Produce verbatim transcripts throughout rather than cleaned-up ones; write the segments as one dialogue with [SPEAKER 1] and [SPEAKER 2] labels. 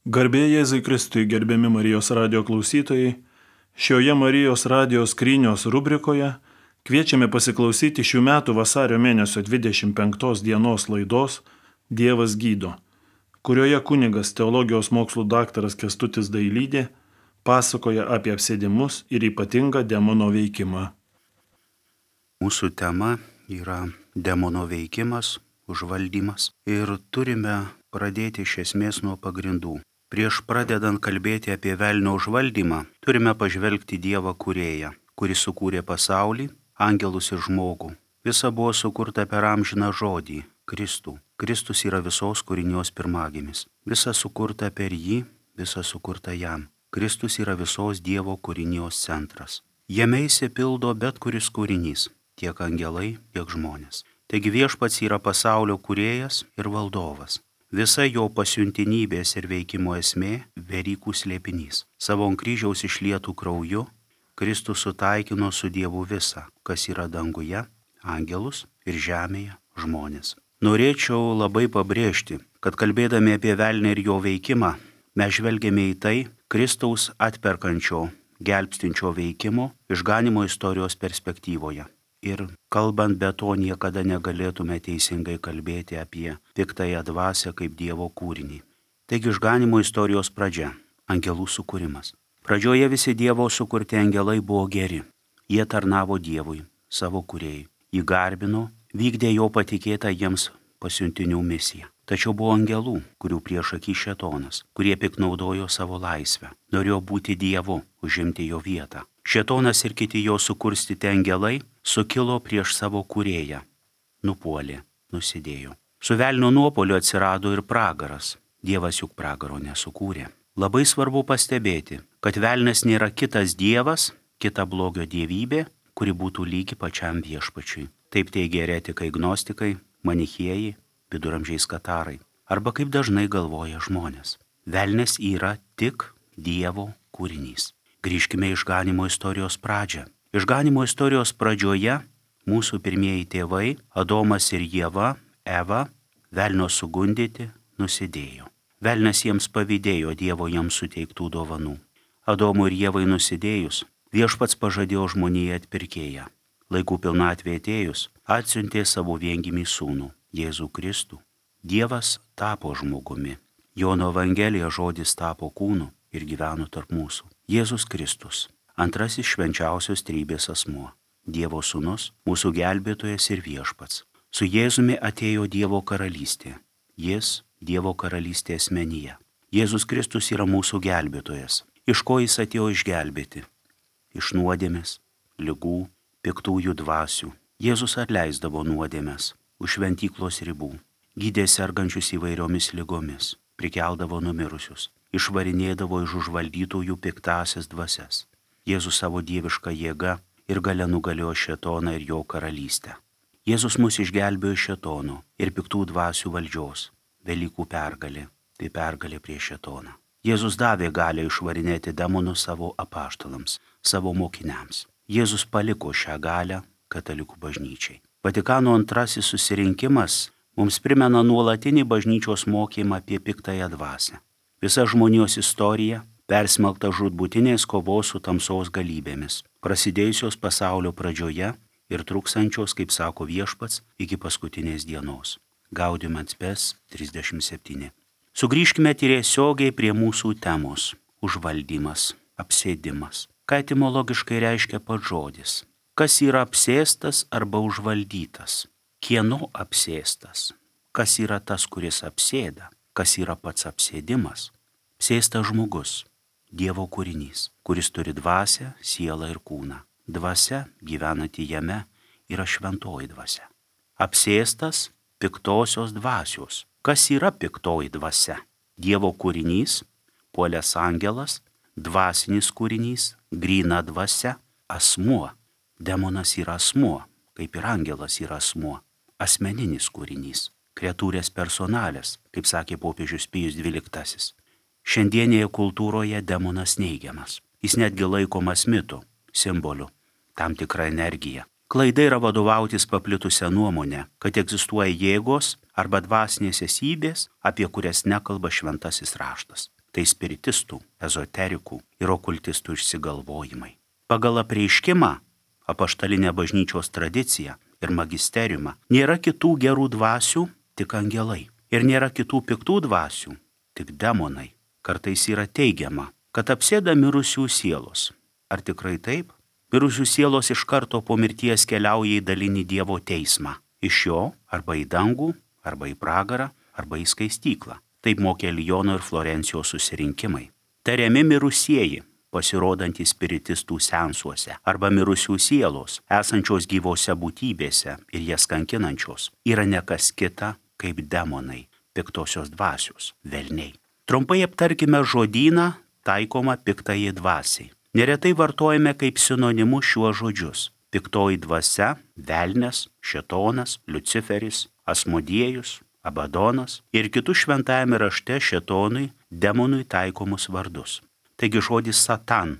[SPEAKER 1] Garbė Jėzui Kristui, gerbiami Marijos radijo klausytojai, šioje Marijos radijo skrynios rubrikoje kviečiame pasiklausyti šių metų vasario mėnesio dvidešimt penktos dienos laidos Dievas gydo, kurioje kunigas teologijos mokslų daktaras Kęstutis Dailydė pasakoja apie apsėdimus ir ypatingą demono veikimą.
[SPEAKER 2] Mūsų tema yra demono veikimas, užvaldymas ir turime pradėti iš esmės nuo pagrindų. Prieš pradedant kalbėti apie velnio užvaldymą, turime pažvelgti Dievą kūrėją, kuris sukūrė pasaulį, angelus ir žmogų. Visa buvo sukurta per amžiną žodį - Kristų. Kristus yra visos kūrinijos pirmagimis. Visa sukurta per jį, visa sukurta jam. Kristus yra visos Dievo kūrinijos centras. Jame įsipildo bet kuris kūrinys, tiek angelai, tiek žmonės. Taigi viešpats yra pasaulio kūrėjas ir valdovas. Visa jo pasiuntinybės ir veikimo esmė - Velykų slėpinys. Savo ant kryžiaus išlietų krauju Kristus sutaikino su Dievu visą, kas yra danguje, angelus ir žemėje, žmonės. Norėčiau labai pabrėžti, kad kalbėdami apie velnį ir jo veikimą, mes žvelgiame į tai Kristaus atperkančio, gelbstinčio veikimo išganymo istorijos perspektyvoje. Ir kalbant be to niekada negalėtume teisingai kalbėti apie piktąją dvasią kaip Dievo kūrinį. Taigi išganymo istorijos pradžia - angelų sukūrimas. Pradžioje visi Dievo sukurti angelai buvo geri. Jie tarnavo Dievui, savo kūrėjui. Jį garbino, vykdė jo patikėtą jiems pasiuntinių misiją. Tačiau buvo angelų, kurių priešaky šėtonas, kurie piknaudojo savo laisvę, norėjo būti Dievu, užimti jo vietą. Šėtonas ir kiti jo sukurstyti angelai sukilo prieš savo kūrėją, nupuolė, nusidėjo. Su velnio nuopuoliu atsirado ir pragaras. Dievas juk pragaro nesukūrė. Labai svarbu pastebėti, kad velnias nėra kitas dievas, kita blogio dievybė, kuri būtų lygi pačiam viešpačiui. Taip teigia eretikai gnostikai, manichėjai, viduramžiais katarai. Arba kaip dažnai galvoja žmonės. Velnias yra tik Dievo kūrinys. Grįžkime išganymo istorijos pradžią. Išganymo istorijos pradžioje mūsų pirmieji tėvai, Adomas ir Ieva, Eva, velnio sugundyti, nusidėjo. Velnias jiems pavydėjo Dievo jiems suteiktų dovanų. Adomui ir Ievai nusidėjus, viešpats pažadėjo žmonijai atpirkėją. Laikų pilnatvė atėjus, atsiuntė savo viengimį sūnų, Jėzų Kristų. Dievas tapo žmogumi. Jono Evangelija žodis tapo kūnu ir gyveno tarp mūsų. Jėzus Kristus, antrasis švenčiausios trybės asmuo, Dievo sūnus, mūsų gelbėtojas ir viešpats. Su Jėzumi atėjo Dievo karalystė. Jis Dievo karalystė asmenyje. Jėzus Kristus yra mūsų gelbėtojas. Iš ko jis atėjo išgelbėti? Iš nuodėmės, ligų, piktųjų dvasių. Jėzus atleisdavo nuodėmes už šventyklos ribų, gydė sergančius įvairiomis ligomis, prikeldavo numirusius, išvarinėdavo iš užvaldytųjų piktasias dvasias. Jėzus savo dievišką jėgą ir galia nugalėjo šėtoną ir jo karalystę. Jėzus mus išgelbėjo iš šėtono ir piktų dvasių valdžios. Velykų pergalė, tai pergalė prieš šėtoną. Jėzus davė galią išvarinėti demonus savo apaštalams, savo mokiniams. Jėzus paliko šią galią katalikų bažnyčiai. Vatikano antrasis susirinkimas mums primena nuolatinį bažnyčios mokymą apie piktąją dvasią. Visa žmonijos istorija persmelkta žūtbūtinės kovos su tamsos galybėmis, prasidėjusios pasaulio pradžioje ir truksančios, kaip sako viešpats, iki paskutinės dienos. Gaudium et Spes trisdešimt septyni. Sugrįžkime tiesiogiai prie mūsų temos - užvaldymas, apsėdimas. Ką etimologiškai reiškia pats žodis? Kas yra apsėstas arba užvaldytas? Kieno apsėstas? Kas yra tas, kuris apsėda? Kas yra pats apsėdimas? Apsėstas žmogus, Dievo kūrinys, kuris turi dvasią, sielą ir kūną. Dvasia, gyvenanti jame, yra šventoji dvasia. Apsėstas piktosios dvasios. Kas yra piktoji dvasia? Dievo kūrinys, puolęs angelas, dvasinis kūrinys, gryna dvasia, asmuo. Demonas yra asmuo, kaip ir angelas yra asmuo. Asmeninis kūrinys, kreatūrės personalės, kaip sakė popiežius Pijus dvyliktasis. Šiandienėje kultūroje demonas neigiamas. Jis netgi laikomas mitu, simboliu, tam tikra energija. Klaida yra vadovautis paplitusią nuomonę, kad egzistuoja jėgos arba dvasinės esybės, apie kurias nekalba šventasis raštas. tai spiritistų, ezoterikų ir okultistų išsigalvojimai. Pagal apreiškimą, apaštalinę bažnyčios tradiciją ir magisteriumą nėra kitų gerų dvasių, tik angelai. Ir nėra kitų piktų dvasių, tik demonai. Kartais yra teigiama, kad apsėda mirusių sielos. Ar tikrai taip? Mirusių sielos iš karto po mirties keliauja į dalinį Dievo teismą. Iš jo arba į dangų, arba į pragarą, arba į skaistyklą. Taip mokė Liono ir Florencijos susirinkimai. Tariami mirusieji, pasirodantys spiritistų sensuose, arba mirusių sielos, esančios gyvose būtybėse ir jas kankinančios, yra ne kas kita kaip demonai, piktosios dvasios, velniai. Trumpai aptarkime žodyną taikomą piktajai dvasiai. Neretai vartojame kaip sinonimus šiuos žodžius. Piktoji dvasia, velnias, šėtonas, Liuciferis, Asmodiejus, Abadonas ir kitus šventajame rašte šėtonui, demonui taikomus vardus. Taigi žodis satan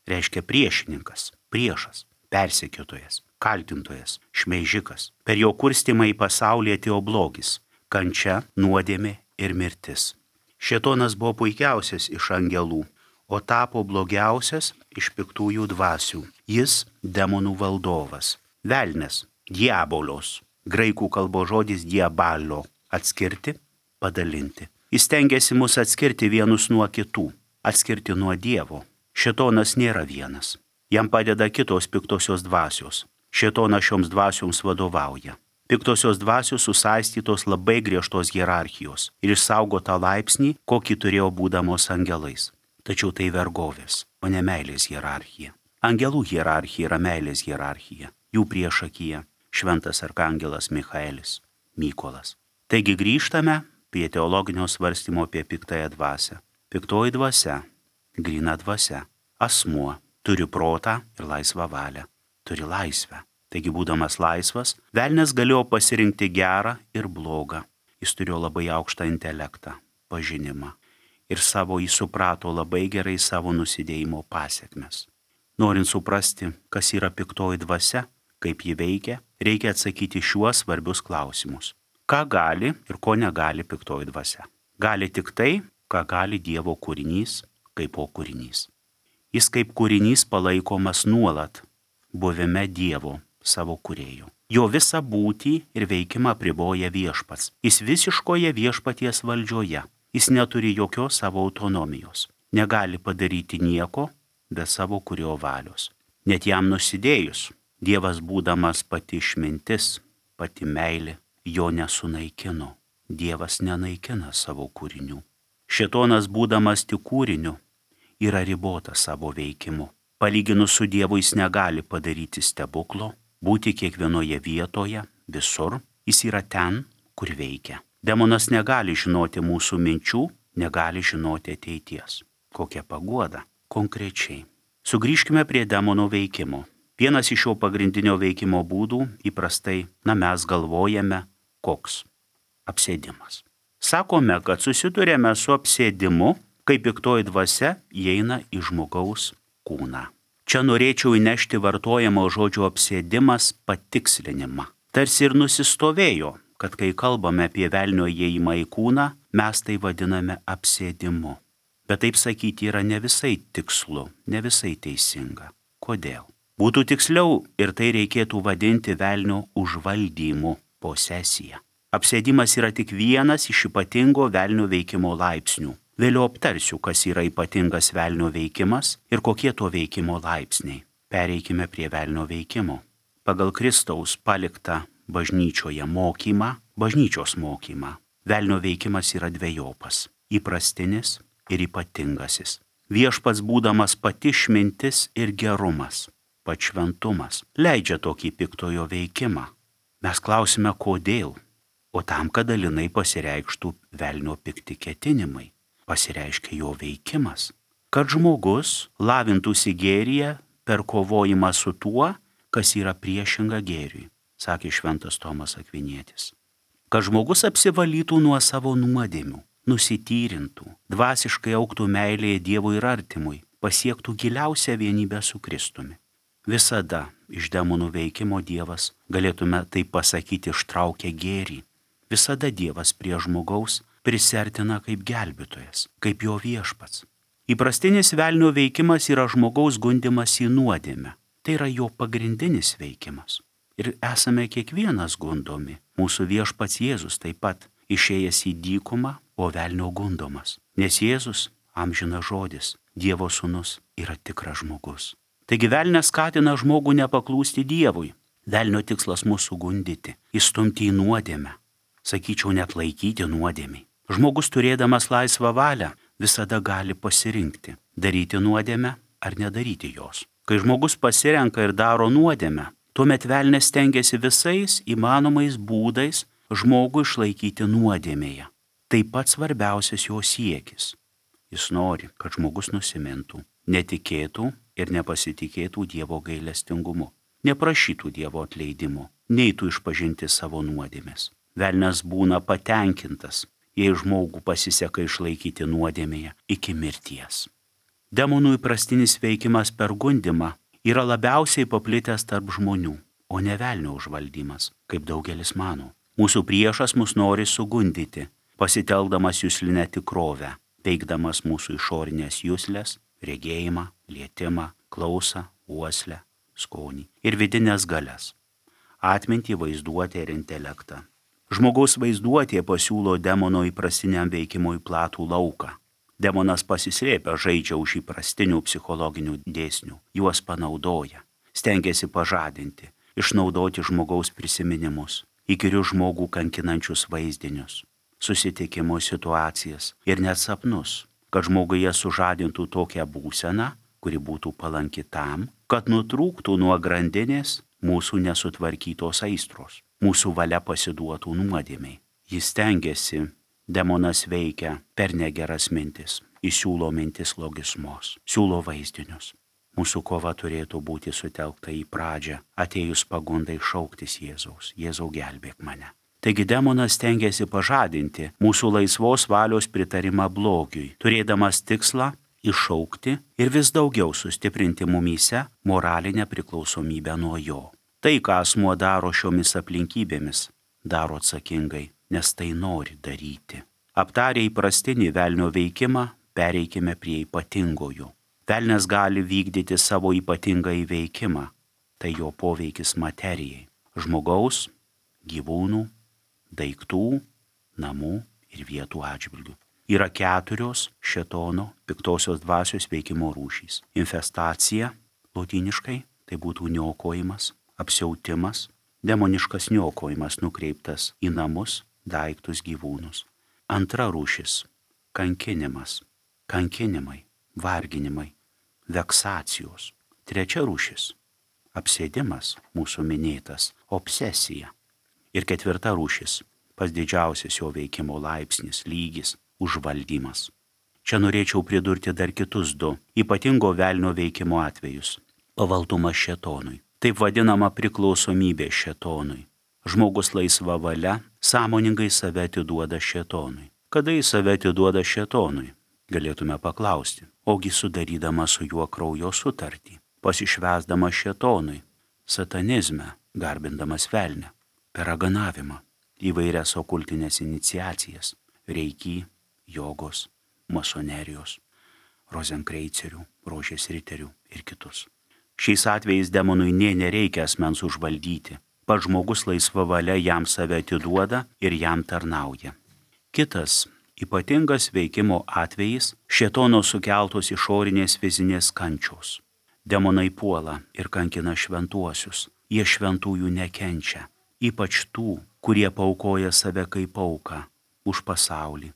[SPEAKER 2] reiškia priešininkas, priešas, persekiotojas, kaltintojas, šmeižikas. Per jo kurstymą į pasaulį atėjo blogis, kančia, nuodėmė ir mirtis. Šėtonas buvo puikiausias iš angelų, o tapo blogiausias iš piktųjų dvasių. Jis demonų valdovas. Velnias, diabolios, graikų kalbos žodis diabalio, atskirti, padalinti. Jis stengiasi mus atskirti vienus nuo kitų, atskirti nuo Dievo. Šėtonas nėra vienas. Jam padeda kitos piktosios dvasios. Šėtonas šioms dvasioms vadovauja. Piktosios dvasios susaistytos labai griežtos hierarchijos ir išsaugota laipsnį, kokį turėjo būdamos angelais. Tačiau tai vergovės, o ne meilės hierarchija. Angelų hierarchija yra meilės hierarchija. Jų priešakyje šventas arkangelas Michaelis, Mykolas. Taigi grįžtame prie teologinio svarstymo apie piktąją dvasią. Piktoji dvasia, gryna dvasia, asmuo, turi protą ir laisvą valią, turi laisvę. Taigi būdamas laisvas, velnias galėjo pasirinkti gerą ir blogą. Jis turėjo labai aukštą intelektą, pažinimą ir savo jį suprato labai gerai savo nusidėjimo pasiekmes. Norint suprasti, kas yra piktoji dvasia, kaip ji veikia, reikia atsakyti šiuos svarbius klausimus. Ką gali ir ko negali piktoji dvasia? Gali tik tai, ką gali Dievo kūrinys, kaip po kūrinys. Jis kaip kūrinys palaikomas nuolat, buvime Dievo, savo kūrėjo. Jo visą būtį ir veikimą apriboja viešpats. Jis visiškoje viešpaties valdžioje. Jis neturi jokios savo autonomijos. Negali padaryti nieko be savo kurio valios. Net jam nusidėjus, Dievas būdamas pati išmintis, pati meilė, jo nesunaikino. Dievas nenaikina savo kūrinių. Šėtonas būdamas tik kūriniu yra ribotas savo veikimu. Palyginus su Dievu jis negali padaryti stebuklo, būti kiekvienoje vietoje, visur. Jis yra ten, kur veikia. Demonas negali žinoti mūsų minčių, negali žinoti ateities. Kokia paguoda? Konkrečiai. Sugrįžkime prie demono veikimo. Vienas iš jo pagrindinio veikimo būdų įprastai, na mes galvojame, koks? Apsėdimas. Sakome, kad susidurėme su apsėdimu, kai piktoji dvasia įeina į žmogaus kūną. Čia norėčiau įnešti vartojamo žodžio apsėdimas patikslinimą. Tarsi ir nusistovėjo, kad kai kalbame apie velnio įėjimą į kūną, mes tai vadiname apsėdimu. Bet taip sakyti yra ne visai tikslu, ne visai teisinga. Kodėl? Būtų tiksliau ir tai reikėtų vadinti velnio užvaldymu, posesija. Apsėdimas yra tik vienas iš ypatingo velnio veikimo laipsnių. Vėliau aptarsiu, kas yra ypatingas velnio veikimas ir kokie to veikimo laipsniai. Pereikime prie velnio veikimo. Pagal Kristaus paliktą bažnyčioje mokymą, bažnyčios mokymą, velnio veikimas yra dvejopas – įprastinis ir ypatingasis. Viešpats būdamas pati išmintis ir gerumas, pats šventumas, leidžia tokį piktojo veikimą. Mes klausime, kodėl? O tam, kad dalinai pasireikštų velnio pikti ketinimai, pasireiškia jo veikimas. Kad žmogus lavintųsi gėryje per kovojimą su tuo, kas yra priešinga gėriui, sakė šventas Tomas Akvinietis. Kad žmogus apsivalytų nuo savo nuodėmių, nusityrintų, dvasiškai augtų meilėje Dievui ir artimui, pasiektų giliausią vienybę su Kristumi. Visada iš demonų veikimo Dievas, galėtume tai pasakyti, ištraukia gėrį. Visada Dievas prie žmogaus prisertina kaip gelbėtojas, kaip jo viešpats. Įprastinis velnio veikimas yra žmogaus gundimas į nuodėmę. Tai yra jo pagrindinis veikimas. Ir esame kiekvienas gundomi. Mūsų viešpats Jėzus taip pat išėjęs į dykumą, o velnio gundomas. Nes Jėzus, amžinas žodis, Dievo sūnus, yra tikras žmogus. Taigi velnias skatina žmogų nepaklūsti Dievui. Velnio tikslas mūsų gundyti, įstumti į nuodėmę. Sakyčiau, net laikyti nuodėmei. Žmogus turėdamas laisvą valią visada gali pasirinkti, daryti nuodėmę ar nedaryti jos. Kai žmogus pasirenka ir daro nuodėmę, tuomet velnias stengiasi visais įmanomais būdais žmogų išlaikyti nuodėmėje. Tai pats svarbiausias jo siekis. Jis nori, kad žmogus nusimintų, netikėtų ir nepasitikėtų Dievo gailestingumu, neprašytų Dievo atleidimo, neitų išpažinti savo nuodėmės. Velnias būna patenkintas, jei žmogų pasiseka išlaikyti nuodėmėje iki mirties. Demonų įprastinis veikimas per gundimą yra labiausiai paplitęs tarp žmonių, o ne velnio užvaldymas, kaip daugelis mano. Mūsų priešas mus nori sugundyti, pasitelkdamas juslinę tikrovę, veikdamas mūsų išorinės juslės, regėjimą, lietimą, klausą, uoslę, skonį ir vidinės galias, atmintį, vaizduotę ir intelektą. Žmogaus vaizduotė pasiūlo demono įprastiniam veikimui platų lauką. Demonas pasislėpia, žaidžia už įprastinių psichologinių dėsnių, juos panaudoja, stengiasi pažadinti, išnaudoti žmogaus prisiminimus, įkyrius žmogų kankinančius vaizdinius, susitikimus, situacijas ir net sapnus, kad žmoguje sužadintų tokią būseną, kuri būtų palanki tam, kad nutrūktų nuo grandinės mūsų nesutvarkytos aistros, mūsų valia pasiduotų nuodėmei. Jis stengiasi, demonas veikia per negeras mintis, įsiūlo mintis logismos, siūlo vaizdinius. Mūsų kova turėtų būti sutelkta į pradžią, atėjus pagundai šauktis Jėzaus, Jėzau gelbėk mane. Taigi demonas stengiasi pažadinti mūsų laisvos valios pritarimą blogiui, turėdamas tikslą iššaukti ir vis daugiau sustiprinti mumyse moralinę priklausomybę nuo jo. Tai, ką asmuo daro šiomis aplinkybėmis, daro atsakingai, nes tai nori daryti. Aptarę įprastinį velnio veikimą, pereikime prie ypatingojo. Velnias gali vykdyti savo ypatingą įveikimą, tai jo poveikis materijai, žmogaus, gyvūnų, daiktų, namų ir vietų atžvilgių. Yra keturios šėtono piktosios dvasios veikimo rūšys. Infestacija, lotyniškai, tai būtų niokojimas, apsiautimas, demoniškas niokojimas nukreiptas į namus, daiktus, gyvūnus. Antra rūšis – kankinimas, kankinimai, varginimai, veksacijos. Trečia rūšis – apsėdimas, mūsų minėtas, obsesija. Ir ketvirta rūšis – pats didžiausias jo veikimo laipsnis, lygis, užvaldymas. Čia norėčiau pridurti dar kitus du ypatingo velnio veikimo atvejus – pavaldumas šėtonui. Taip vadinama priklausomybė šėtonui. Žmogus laisva valia sąmoningai save atiduoda šėtonui. Kada jis save atiduoda šėtonui? Galėtume paklausti. Ogi sudarydama su juo kraujo sutartį, pasišvęsdama šėtonui, satanizme, garbindamas velnę, per raganavimą, įvairias okultinės iniciacijas, reiki, jogos, masonerijos, rozenkreicerių, rožės riterių ir kitus. Šiais atvejais demonui nė nereikia asmens užvaldyti. Pats žmogus laisva valia jam save atiduoda ir jam tarnauja. Kitas ypatingas veikimo atvejis – šėtono sukeltos išorinės fizinės kančios. Demonai puola ir kankina šventuosius. Jie šventųjų nekenčia, ypač tų, kurie paaukoja save kaip auką už pasaulį,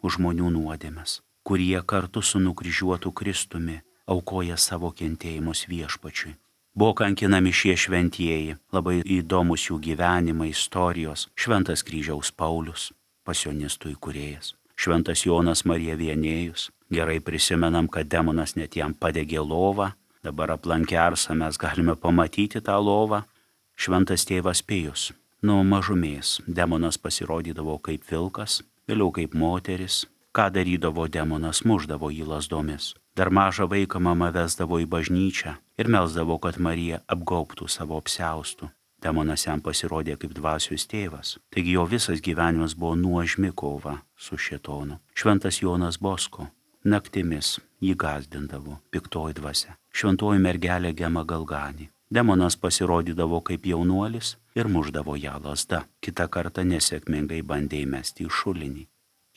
[SPEAKER 2] už žmonių nuodėmes, kurie kartu su nukryžiuotu Kristumi aukoja savo kentėjimus viešpačiui. Buvo kankinami šie šventieji, labai įdomus jų gyvenimai, istorijos, šventas kryžiaus Paulius, pasionistų įkūrėjas, šventas Jonas Marija Vienėjus. Gerai prisimenam, kad demonas net jam padegė lovą, dabar aplankę Arsą mes galime pamatyti tą lovą. Šventas tėvas Pijus. Nuo mažumės demonas pasirodydavo kaip vilkas, vėliau kaip moteris. Ką darydavo demonas, muždavo jį lazdomis. Dar mažą vaiką mama vesdavo į bažnyčią ir melsdavo, kad Marija apgaubtų savo apsiaustų. Demonas jam pasirodė kaip dvasios tėvas. Taigi jo visas gyvenimas buvo nuožmi kova su šėtonu. Šventas Jonas Bosko naktimis jį gąsdindavo piktoji dvasia. Šventoji mergelė Gema Galganį. Demonas pasirodydavo kaip jaunuolis ir muždavo ją lazda. Kitą kartą nesėkmingai bandė įmesti į šulinį.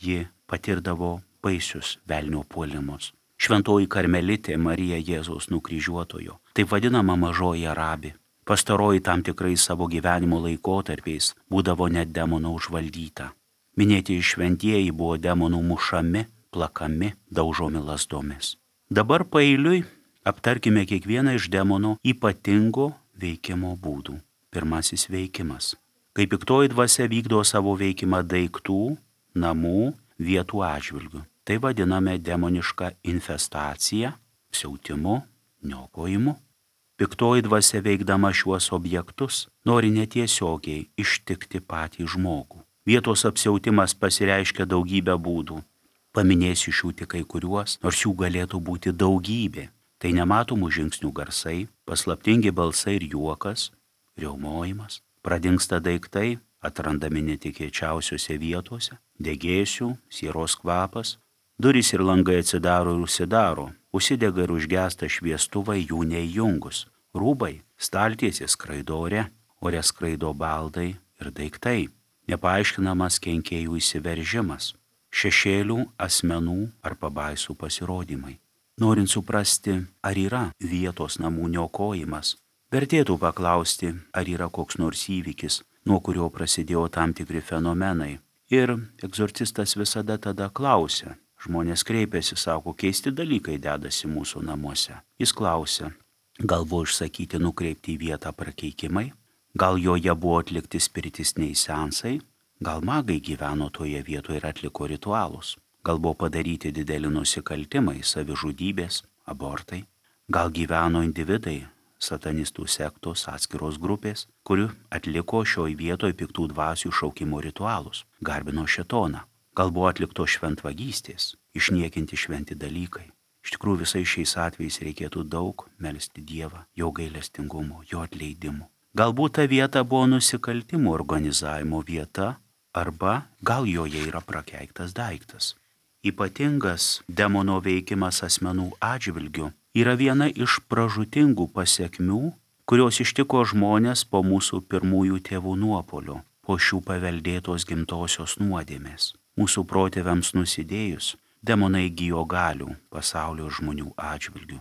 [SPEAKER 2] Ji patirdavo baisius velnio puolimus. Šventoji karmelitė Marija Jėzaus nukryžiuotojo, taip vadinama mažoji Arabė. Pastaroji tam tikrais savo gyvenimo laikotarpiais būdavo net demonų užvaldyta. Minėti šventieji buvo demonų mušami, plakami, daužomi lazdomis. Dabar paeiliui aptarkime kiekvieną iš demonų ypatingo veikimo būdų. Pirmasis veikimas. Kai piktoji dvasia vykdo savo veikimą daiktų, namų, vietų atžvilgių. Tai vadiname demonišką infestaciją, siautimu, niokojimu. Piktoji dvasia veikdama šiuos objektus nori netiesiogiai ištikti patį žmogų. Vietos apsiautimas pasireiškia daugybę būdų. Paminėsiu šių tik kai kuriuos, nors jų galėtų būti daugybė. Tai nematomų žingsnių garsai, paslaptingi balsai ir juokas, riaumojimas, pradingsta daiktai, atrandami netikėčiausiose vietose, degėsių, sieros kvapas, durys ir langai atsidaro ir užsidaro, užsidega ir užgesta šviestuvai jų neįjungus, rūbai, staltiesės skraido ore, ore skraido baldai ir daiktai, nepaaiškinamas kenkėjų įsiveržimas, šešėlių, asmenų ar pabaisų pasirodymai. Norint suprasti, ar yra vietos namų niokojimas, vertėtų paklausti, ar yra koks nors įvykis, nuo kurio prasidėjo tam tikri fenomenai. Ir egzorcistas visada tada klausia. Žmonės kreipiasi, sako, keisti dalykai dedasi mūsų namuose. Jis klausia, gal buvo išsakyti nukreipti į vietą prakeikimai, gal joje buvo atlikti spiritistiniai seansai, gal magai gyveno toje vietoje ir atliko ritualus. Gal buvo padaryti dideli nusikaltimai, savižudybės, abortai. Gal gyveno individai, satanistų sektos, atskiros grupės, kurių atliko šioj vietoj piktų dvasių šaukimo ritualus, garbino šėtoną. Gal buvo atlikto šventvagystės, išniekinti šventi dalykai. Iš tikrųjų visais šiais atvejais reikėtų daug melsti Dievą, jo gailestingumo, jo atleidimo. Galbūt ta vieta buvo nusikaltimų organizavimo vieta, arba gal joje yra prakeiktas daiktas. Ypatingas demono veikimas asmenų atžvilgių yra viena iš pražūtingų pasekmių, kurios ištiko žmonės po mūsų pirmųjų tėvų nuopuolio, po šių paveldėtos gimtosios nuodėmės. Mūsų protėviams nusidėjus, demonai įgijo galių pasaulio žmonių atžvilgių.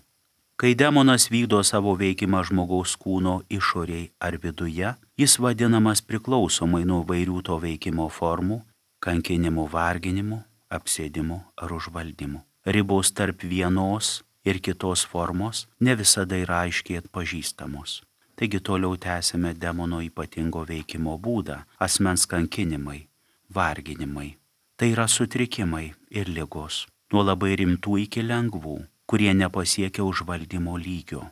[SPEAKER 2] Kai demonas vykdo savo veikimą žmogaus kūno išoriai ar viduje, jis vadinamas priklausomai nuo vairių to veikimo formų, kankinimų, varginimų, apsėdimų ar užvaldymų. Ribos tarp vienos ir kitos formos ne visada yra aiškiai atpažįstamos. Taigi toliau tęsime demono ypatingo veikimo būdą – asmens kankinimai, varginimai. Tai yra sutrikimai ir ligos, nuo labai rimtų iki lengvų, kurie nepasiekia užvaldymo lygio.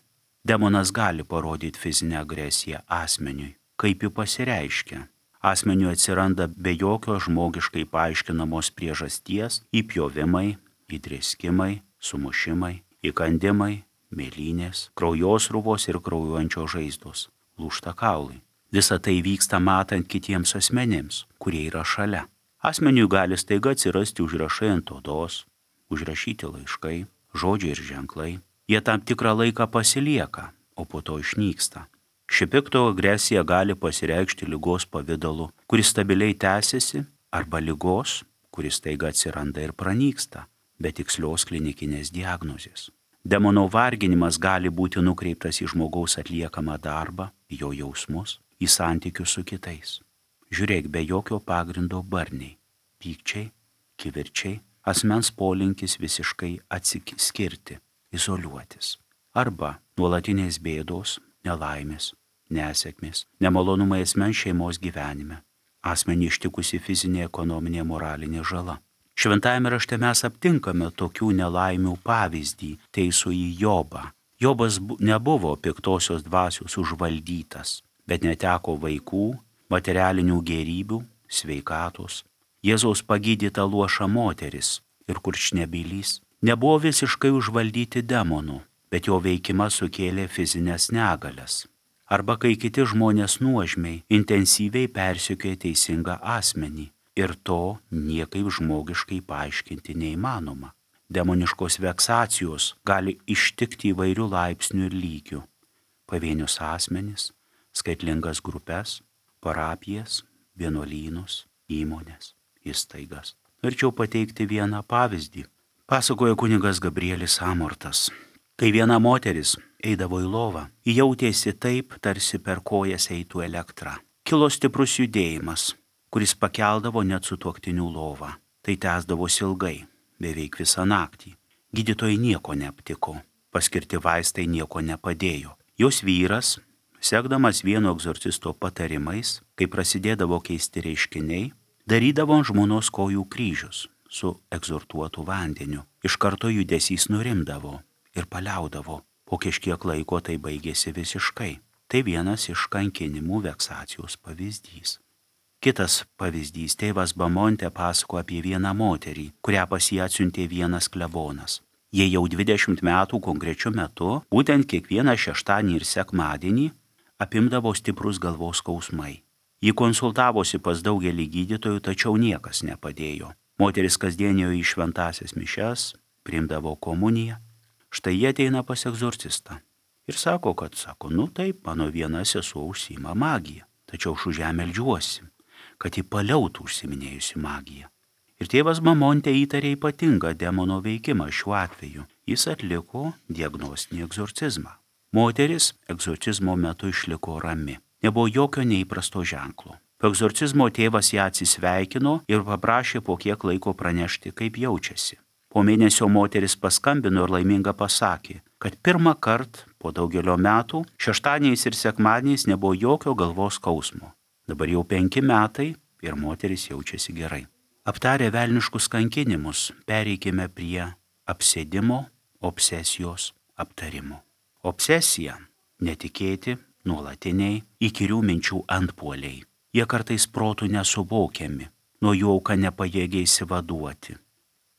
[SPEAKER 2] Demonas gali parodyti fizinę agresiją asmeniui, kaip ji pasireiškia. Asmeniui atsiranda be jokio žmogiškai paaiškinamos priežasties įpjovimai, įdrėskimai, sumušimai, įkandimai, mėlynės, kraujosruvos ir kraujuojančios žaizdos, lūžta kaulai. Visa tai vyksta matant kitiems asmenims, kurie yra šalia. Asmeniui gali staiga atsirasti užrašai ant odos, užrašyti laiškai, žodžiai ir ženklai. Jie tam tikrą laiką pasilieka, o po to išnyksta. Ši pikto agresija gali pasireikšti ligos pavidalu, kuris stabiliai tęsiasi, arba ligos, kuris staiga atsiranda ir pranyksta, be tikslios klinikinės diagnozės. Demono varginimas gali būti nukreiptas į žmogaus atliekamą darbą, jo jausmus, į santykius su kitais. Žiūrėk, be jokio pagrindo barniai, pykčiai, kivirčiai, asmens polinkis visiškai atsiskirti, izoliuotis. Arba nuolatinės bėdos, nelaimės, nesėkmės, nemalonumai asmens šeimos gyvenime, asmenį ištikusi fizinė, ekonominė, moralinė žala. Šventajame rašte mes aptinkame tokių nelaimių pavyzdį teisųjį Jobą. Jobas nebuvo piktosios dvasios užvaldytas, bet neteko vaikų, materialinių gėrybių, sveikatos. Jėzaus pagydyta luoša moteris ir kurčnebylys nebuvo visiškai užvaldyti demonų, bet jo veikimas sukėlė fizinės negalias. arba kai kiti žmonės nuožmiai, intensyviai persekioja teisingą asmenį ir to niekaip žmogiškai paaiškinti neįmanoma. Demoniškos veksacijos gali ištikti įvairių laipsnių ir lygių. Pavienius asmenis, skaitlingas grupės, parapijas, vienuolynus, įmonės, įstaigas. Norėčiau pateikti vieną pavyzdį. Pasakoja kunigas Gabrielis Amortas. Kai viena moteris eidavo į lovą, ji jautėsi taip, tarsi per kojas eitų elektra. Kilo stiprus judėjimas, kuris pakeldavo net sutuoktinių lovą. Tai tęsdavosi ilgai, beveik visą naktį. Gydytojai nieko neaptiko, paskirti vaistai nieko nepadėjo. Jos vyras, sekdamas vieno egzorcisto patarimais, kai prasidėdavo keisti reiškiniai, darydavo ant žmonos kojų kryžius su egzortuotu vandeniu. Iš karto judesys nurimdavo ir paliaudavo. Po kažkiek laiko tai baigėsi visiškai. Tai vienas iš kankinimų veksacijos pavyzdys. Kitas pavyzdys, tėvas Bamonte pasako apie vieną moterį, kurią pas jį atsiuntė vienas klebonas. Jie jau dvidešimt metų konkrečiu metu, būtent kiekvieną šeštadienį ir sekmadienį, apimdavo stiprus galvos skausmai. Ji konsultavosi pas daugelį gydytojų, tačiau niekas nepadėjo. Moteris kasdienėjo į šventąsias mišias, priimdavo komuniją. Štai jie ateina pas egzorcistą. Ir sako, kad, sako, nu taip, mano viena sesuo užsiima magiją. Tačiau aš už ją meldžiuosi, kad ji paliautų užsiminėjusi magiją. Ir tėvas Bamonte įtarė ypatingą demono veikimą šiuo atveju. Jis atliko diagnostinį egzorcizmą. Moteris egzorcizmo metu išliko rami. Nebuvo jokio neįprasto ženklo. Po egzorcizmo tėvas ją atsisveikino ir paprašė po kiek laiko pranešti, kaip jaučiasi. Po mėnesio moteris paskambino ir laiminga pasakė, kad pirmą kartą po daugelio metų šeštadieniais ir sekmadieniais nebuvo jokio galvos skausmo. Dabar jau penki metai ir moteris jaučiasi gerai. Aptarę velniškus kankinimus, pereikime prie apsėdimo, obsesijos aptarimo. Obsesija – netikėti, nuolatiniai, įkyrių minčių antpuoliai. Jie kartais protų nesuvokiami, nuo jų auka nepajėgia įsivaduoti.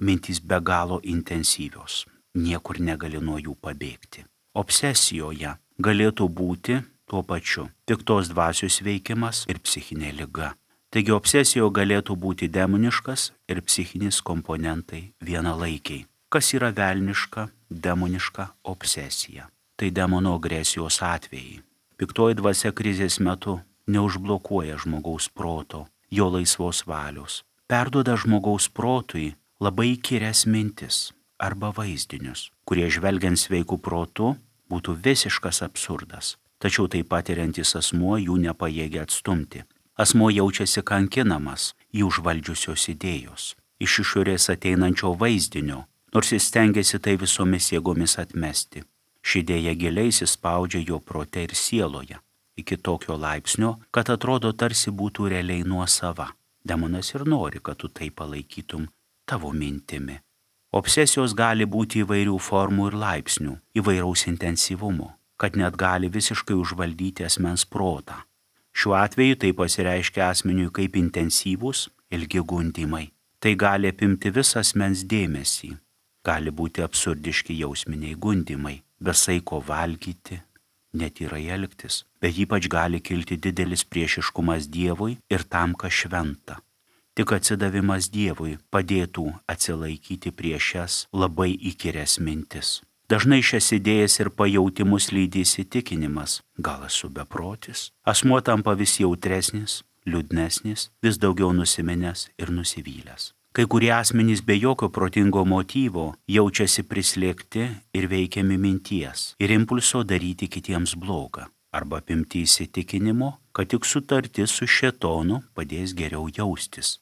[SPEAKER 2] Mintys be galo intensyvios, niekur negali nuo jų pabėgti. Obsesijoje galėtų būti tuo pačiu piktos dvasios veikimas ir psichinė liga. Taigi obsesijoje galėtų būti demoniškas ir psichinis komponentai vienalaikiai. Kas yra velniška, demoniška obsesija? Tai demono agresijos atvejai. Piktoji dvasia krizės metu neužblokuoja žmogaus proto, jo laisvos valios. Perduoda žmogaus protui labai įkyrias mintis arba vaizdinius, kurie žvelgiant sveikų protų būtų visiškas absurdas. Tačiau taip patiriantis asmuo jų nepajėgia atstumti. Asmuo jaučiasi kankinamas jį užvaldžiusios idėjos, iš išorės ateinančio vaizdinio, nors jis stengiasi tai visomis jėgomis atmesti. Ši idėja giliai įsispaudžia jo prote ir sieloje, iki tokio laipsnio, kad atrodo tarsi būtų realiai nuosava. Demonas ir nori, kad tu tai palaikytum tavo mintimi. Obsesijos gali būti įvairių formų ir laipsnių, įvairaus intensyvumo, kad net gali visiškai užvaldyti asmens protą. Šiuo atveju tai pasireiškia asmeniui kaip intensyvūs, ilgi gundymai. Tai gali apimti visą asmens dėmesį. Gali būti absurdiški jausminiai gundymai, besaiko valgyti, netyrai elgtis, bet ypač gali kilti didelis priešiškumas Dievui ir tam, kas šventa. Tik atsidavimas Dievui padėtų atsilaikyti prieš šias labai įkyrias mintis. Dažnai šias idėjas ir pajautimus lydi įsitikinimas, gal esu beprotis. Asmuo tampa vis jautresnis, liūdnesnis, vis daugiau nusiminęs ir nusivylęs. Kai kurie asmenys be jokio protingo motyvo jaučiasi prislėgti ir veikiami minties ir impulso daryti kitiems blogą, arba apimti įsitikinimo, kad tik sutartis su šėtonu padės geriau jaustis.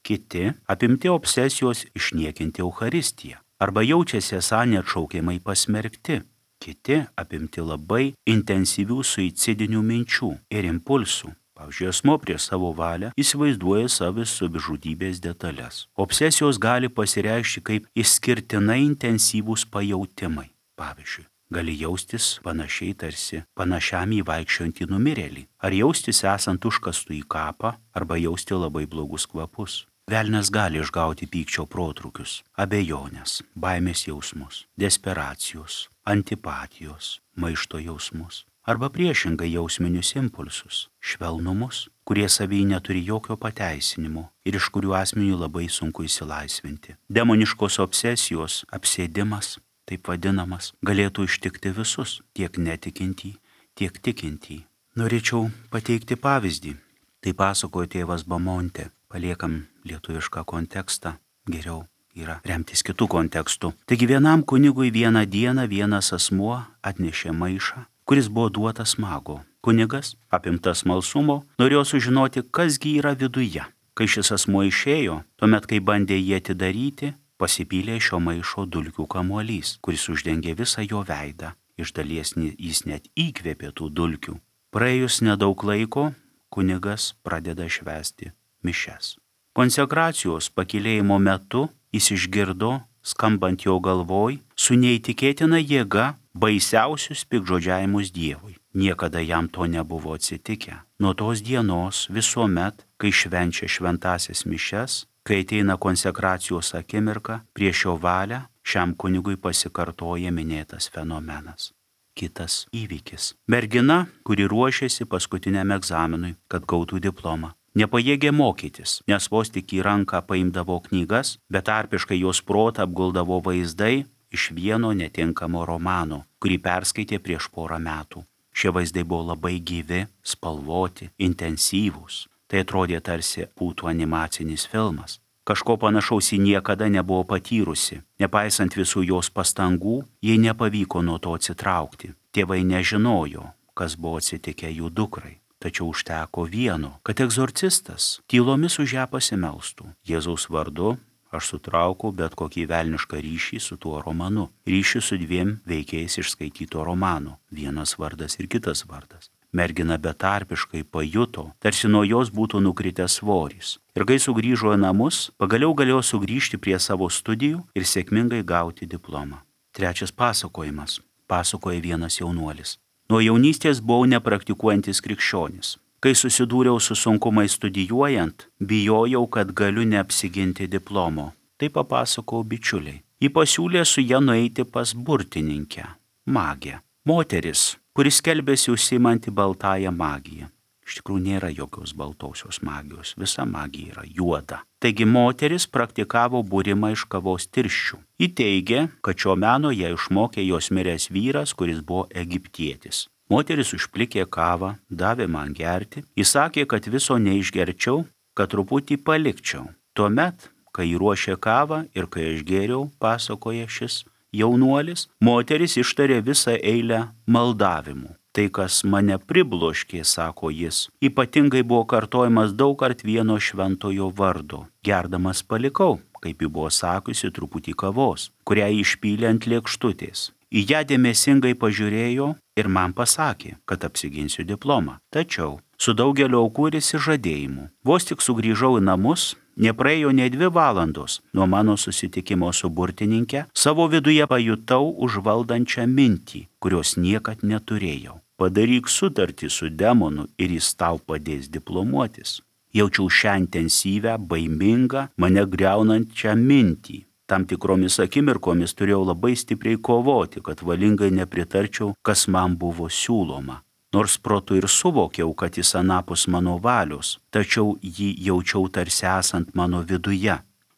[SPEAKER 2] Kiti apimti obsesijos išniekinti Eucharistiją, arba jaučiasi esą neatšaukiamai pasmerkti. Kiti apimti labai intensyvių suicidinių minčių ir impulsų. Pavyzdžiui, asmuo prieš savo valią įsivaizduoja savo savižudybės detalės. Obsesijos gali pasireikšti kaip išskirtinai intensyvūs pajautimai. Pavyzdžiui, gali jaustis panašiai tarsi panašiam į vaikščiojantį numirėlį, ar jaustis esant užkastų į kapą, arba jausti labai blogus kvapus. Velnias gali išgauti pykčio protrukius, abejonės, baimės jausmus, desperacijos, antipatijos, maišto jausmus. arba priešingai jausminius impulsus, švelnumus, kurie savyje neturi jokio pateisinimo ir iš kurių asmeniui labai sunku išsilaisvinti. Demoniškos obsesijos, apsėdimas, taip vadinamas, galėtų ištikti visus, tiek netikintį, tiek tikintį. Norėčiau pateikti pavyzdį. Tai pasakojo tėvas Bamontė. Paliekam lietuvišką kontekstą, geriau yra remtis kitų kontekstų. Taigi vienam kunigui vieną dieną vienas asmuo atnešė maišą, kuris buvo duotas mago. Kunigas, apimtas smalsumo, norėjo sužinoti, kasgi yra viduje. Kai šis asmuo išėjo, tuomet, kai bandė jį atidaryti, pasipylė šio maišo dulkių kamuolys, kuris uždengė visą jo veidą. Iš dalies jis net įkvėpė tų dulkių. Praėjus nedaug laiko, kunigas pradeda švęsti mišias. Konsekracijos pakylėjimo metu jis išgirdo, skambant jo galvoj, su neįtikėtina jėga baisiausius piktžodžiavimus Dievui. Niekada jam to nebuvo atsitikę. Nuo tos dienos visuomet, kai švenčia šventasias mišias, kai ateina konsekracijos akimirka, prieš jo valią, šiam kunigui pasikartoja minėtas fenomenas. Kitas įvykis. Mergina, kuri ruošėsi paskutiniam egzaminui, kad gautų diplomą, nepajėgė mokytis, nes vos tik į ranką paimdavo knygas, bet tarpiškai jos protą apguldavo vaizdai iš vieno netinkamo romano, kurį perskaitė prieš porą metų. Šie vaizdai buvo labai gyvi, spalvoti, intensyvūs. Tai atrodė tarsi būtų animacinis filmas. Kažko panašaus ji niekada nebuvo patyrusi. Nepaisant visų jos pastangų, jai nepavyko nuo to atsitraukti. Tėvai nežinojo, kas buvo atsitikę jų dukrai. Tačiau užteko vieno, kad egzorcistas tylomis už ją pasimelstų. Jėzaus vardu aš sutraukau bet kokį velnišką ryšį su tuo romanu. Ryšį su dviem veikėjais iš skaityto romano. Vienas vardas ir kitas vardas. Mergina betarpiškai pajuto, tarsi nuo jos būtų nukritęs svoris. Ir kai sugrįžo į namus, pagaliau galėjo sugrįžti prie savo studijų ir sėkmingai gauti diplomą. Trečias pasakojimas. Pasakoja vienas jaunuolis. Nuo jaunystės buvau nepraktikuojantis krikščionis. Kai susidūriau su sunkumais studijuojant, bijojau, kad galiu neapsiginti diplomo. Tai papasakojau bičiuliai. Ji pasiūlė su ja nueiti pas burtininkę, magę. Moteris, kuris skelbėsi užsiimanti baltąją magiją. Iš tikrųjų nėra jokios baltosios magijos, visa magija yra juoda. Taigi moteris praktikavo būrimą iš kavos tirščių. Ji teigė, kad šio meno ją išmokė jos miręs vyras, kuris buvo egiptietis. Moteris užplikė kavą, davė man gerti, įsakė, kad viso neišgerčiau, kad truputį palikčiau. Tuomet, kai ruošė kavą ir kai aš gėriau, pasakoja šis jaunuolis, moteris ištarė visą eilę maldavimų. Tai, kas mane pribloškė, sako jis, ypatingai buvo kartojamas daug kart vieno šventojo vardo. Gerdamas palikau, kaip ji buvo sakiusi, truputį kavos, kurią išpylė ant lėkštutės. Į ją dėmesingai pažiūrėjo ir man pasakė, kad apsiginsiu diplomą. Tačiau su daugelio aukų ir išsižadėjimu. Vos tik sugrįžau į namus, nepraėjo ne dvi valandos nuo mano susitikimo su burtininke, savo viduje pajutau užvaldančią mintį, kurios niekad neturėjau. Padaryk sutartį su demonu ir jis tau padės diplomuotis. Jaučiau šią intensyvę, baimingą, mane griaunančią mintį. Tam tikromis akimirkomis turėjau labai stipriai kovoti, kad valingai nepritarčiau, kas man buvo siūloma. Nors protu ir suvokiau, kad jis anapus mano valios, tačiau jį jaučiau tarsi esant mano viduje.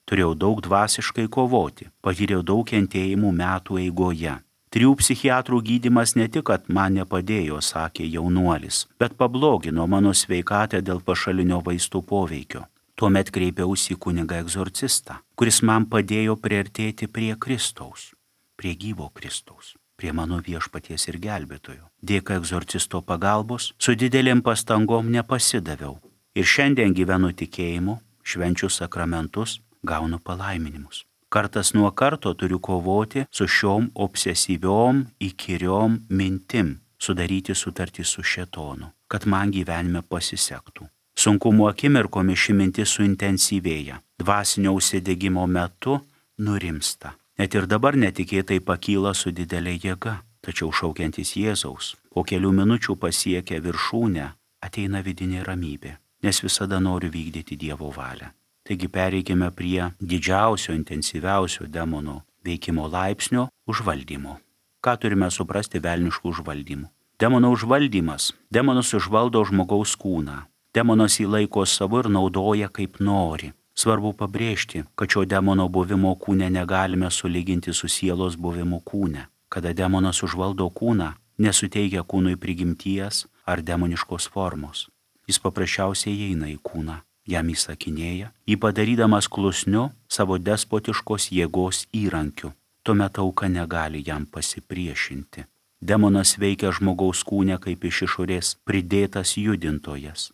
[SPEAKER 2] Turėjau daug dvasiškai kovoti, patyriau daug kentėjimų metų eigoje. Trijų psichiatrų gydymas ne tik, kad man nepadėjo, sakė jaunuolis, bet pablogino mano sveikatą dėl pašalinio vaistų poveikio. Tuomet kreipiausi į kunigą egzorcistą, kuris man padėjo priartėti prie Kristaus, prie gyvo Kristaus, prie mano viešpaties ir gelbėtojo. Dėka egzorcisto pagalbos, su didelėm pastangom nepasidaviau ir šiandien gyvenu tikėjimu, švenčiu sakramentus, gaunu palaiminimus. Kartas nuo karto turiu kovoti su šiom obsesyviom, įkyriom mintim, sudaryti sutartį su šėtonu, kad man gyvenime pasisektų. Sunkumo akimirkomis ši mintis suintensyvėja, dvasinio užsidegimo metu nurimsta. Net ir dabar netikėtai pakyla su didelė jėga, tačiau šaukiantis Jėzaus, po kelių minučių pasiekia viršūnę, ateina vidinė ramybė, nes visada noriu vykdyti Dievo valią. Taigi pereikime prie didžiausio, intensyviausio demono veikimo laipsnio užvaldymo. Ką turime suprasti velniškų užvaldymų? Demono užvaldymas. Demonas užvaldo žmogaus kūną. Demonas jį laiko savo ir naudoja kaip nori. Svarbu pabrėžti, kad šio demono buvimo kūne negalime sulyginti su sielos buvimu kūne. Kada demonas užvaldo kūną, nesuteikia kūnui prigimties ar demoniškos formos. Jis paprasčiausiai eina į kūną, jam įsakinėja, jį padarydamas klusniu savo despotiškos jėgos įrankiu. Tuomet auka negali jam pasipriešinti. Demonas veikia žmogaus kūne kaip iš išorės pridėtas judintojas.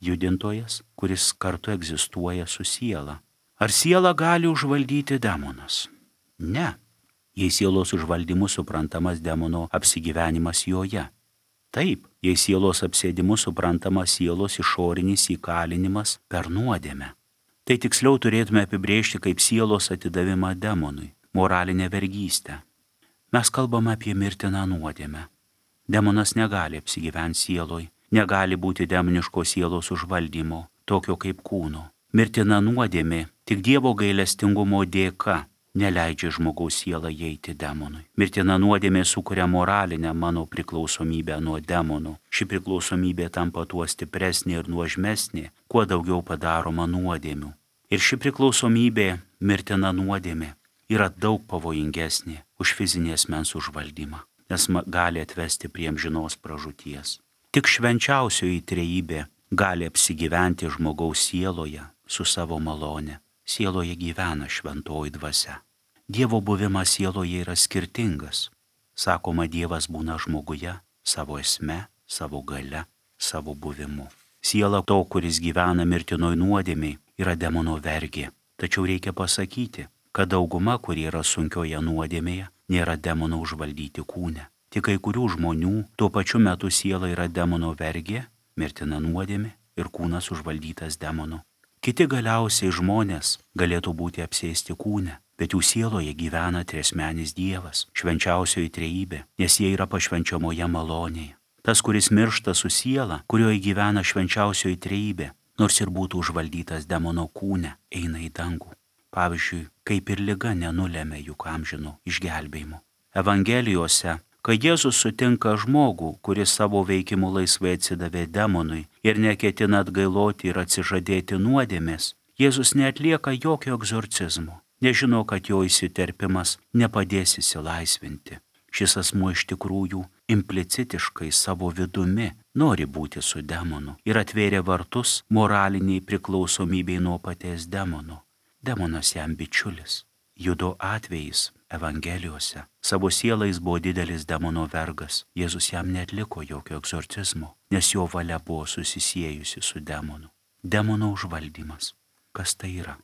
[SPEAKER 2] Judintojas, kuris kartu egzistuoja su siela. Ar siela gali užvaldyti demonas? Ne. Jei sielos užvaldymu suprantamas demono apsigyvenimas joje. Taip, jei sielos apsėdimu suprantamas sielos išorinis įkalinimas per nuodėmę. Tai tiksliau turėtume apibrėžti kaip sielos atidavimą demonui, moralinę vergystę. Mes kalbame apie mirtiną nuodėmę. Demonas negali apsigyventi sieloj, negali būti demoniškos sielos užvaldymo, tokio kaip kūno. Mirtina nuodėmė tik Dievo gailestingumo dėka neleidžia žmogaus sielą įeiti demonui. Mirtina nuodėmė sukuria moralinę mano priklausomybę nuo demonų. Ši priklausomybė tampa tuo stipresnė ir nuožmesnė, kuo daugiau padaroma nuodėmių. Ir ši priklausomybė, mirtina nuodėmė, yra daug pavojingesnė už fizinį asmens užvaldymą, nes gali atvesti prie amžinos pražūties. Tik švenčiausioji trejybė gali apsigyventi žmogaus sieloje su savo malone. Sieloje gyvena šventoji dvasia. Dievo buvimas sieloje yra skirtingas. Sakoma, Dievas būna žmoguje savo esme, savo gale, savo buvimu. Siela to, kuris gyvena mirtinoj nuodėmiai, yra demono vergė. Tačiau reikia pasakyti, kad dauguma, kurie yra sunkioje nuodėmėje, nėra demono užvaldyti kūne. Tik kai kurių žmonių tuo pačiu metu siela yra demono vergė, mirtina nuodėmė ir kūnas užvaldytas demono. Kiti galiausiai žmonės galėtų būti apsėsti kūne, bet jų sieloje gyvena triasmenis Dievas, švenčiausioji trejybė, nes jie yra pašvenčiamoje malonėje. Tas, kuris miršta su siela, kurioje gyvena švenčiausioji trejybė, nors ir būtų užvaldytas demono kūne, eina į dangų. Pavyzdžiui, kaip ir liga nenulėmė juk amžino išgelbėjimo. Evangelijose, kai Jėzus sutinka žmogų, kuris savo veikimu laisvai atsidavė demonui ir neketina atgailoti ir atsižadėti nuodėmės, Jėzus neatlieka jokio egzorcizmo, nežino, kad jo įsiterpimas nepadės įsilaisvinti. Šis asmuo iš tikrųjų implicitiškai savo vidumi nori būti su demonu ir atvėrė vartus moraliniai priklausomybei nuo paties demono. Demonas jam bičiulis. Judo atvejais Evangelijose savo sielais buvo didelis demono vergas. Jėzus jam neatliko jokio egzorcizmo, nes jo valia buvo susisiejusi su demonu. Demono užvaldymas. Kas tai yra?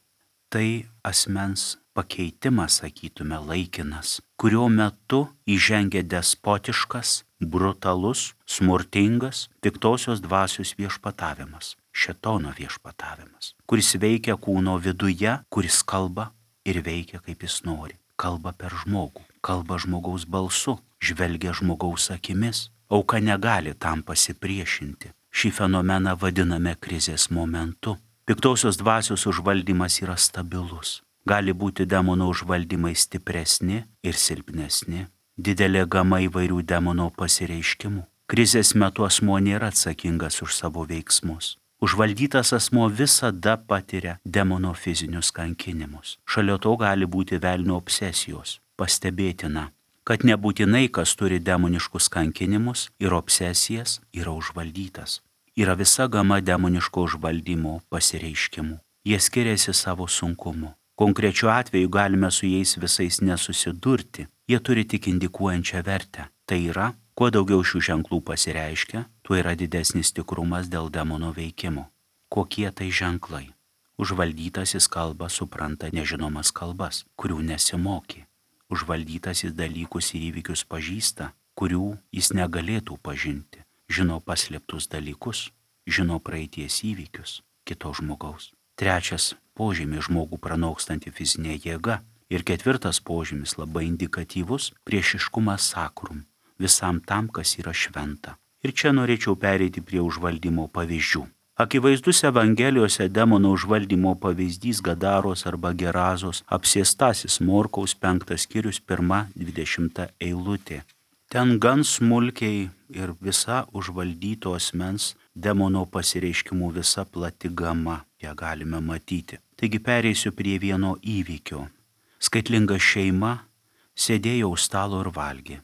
[SPEAKER 2] Tai asmens pakeitimas, sakytume, laikinas, kurio metu įžengia despotiškas, brutalus, smurtingas, piktosios dvasios viešpatavimas, šėtono viešpatavimas, kuris veikia kūno viduje, kuris kalba ir veikia kaip jis nori. Kalba per žmogų, kalba žmogaus balsu, žvelgia žmogaus akimis. Auka negali tam pasipriešinti. Šį fenomeną vadiname krizės momentu. Piktosios dvasios užvaldymas yra stabilus. Gali būti demono užvaldymai stipresni ir silpnesni. Didelė gama įvairių demono pasireiškimų. Krizės metu asmuo nėra atsakingas už savo veiksmus. Užvaldytas asmuo visada patiria demono fizinius kankinimus. Šalia to gali būti velnio obsesijos. Pastebėtina, kad nebūtinai, kas turi demoniškus kankinimus ir obsesijas, yra užvaldytas. Yra visa gama demoniško užvaldymo pasireiškimų. Jie skiriasi savo sunkumu. Konkrečiu atveju galime su jais visais nesusidurti. Jie turi tik indikuojančią vertę. Tai yra, kuo daugiau šių ženklų pasireiškia, tuo yra didesnis tikrumas dėl demono veikimo. Kokie tai ženklai? Užvaldytasis kalba supranta nežinomas kalbas, kurių nesimokė. Užvaldytasis dalykus ir įvykius pažįsta, kurių jis negalėtų pažinti. Žino paslėptus dalykus, žino praeities įvykius kito žmogaus. Trečias požymis žmogų pranokstanti fizinė jėga. Ir ketvirtas požymis labai indikatyvus priešiškumas sakrum, visam tam, kas yra šventa. Ir čia norėčiau pereiti prie užvaldymo pavyzdžių. Akivaizdus Evangelijose demono užvaldymo pavyzdys Gadaros arba Gerazos apsėstasis Morkaus penktas skyrius pirma dvidešimta eilutė. ten gan smulkiai ir visa užvaldyto asmens demono pasireiškimų visa plati gama, ją galime matyti. Taigi pereisiu prie vieno įvykio. Skaitlinga šeima sėdėjo už stalo ir valgė,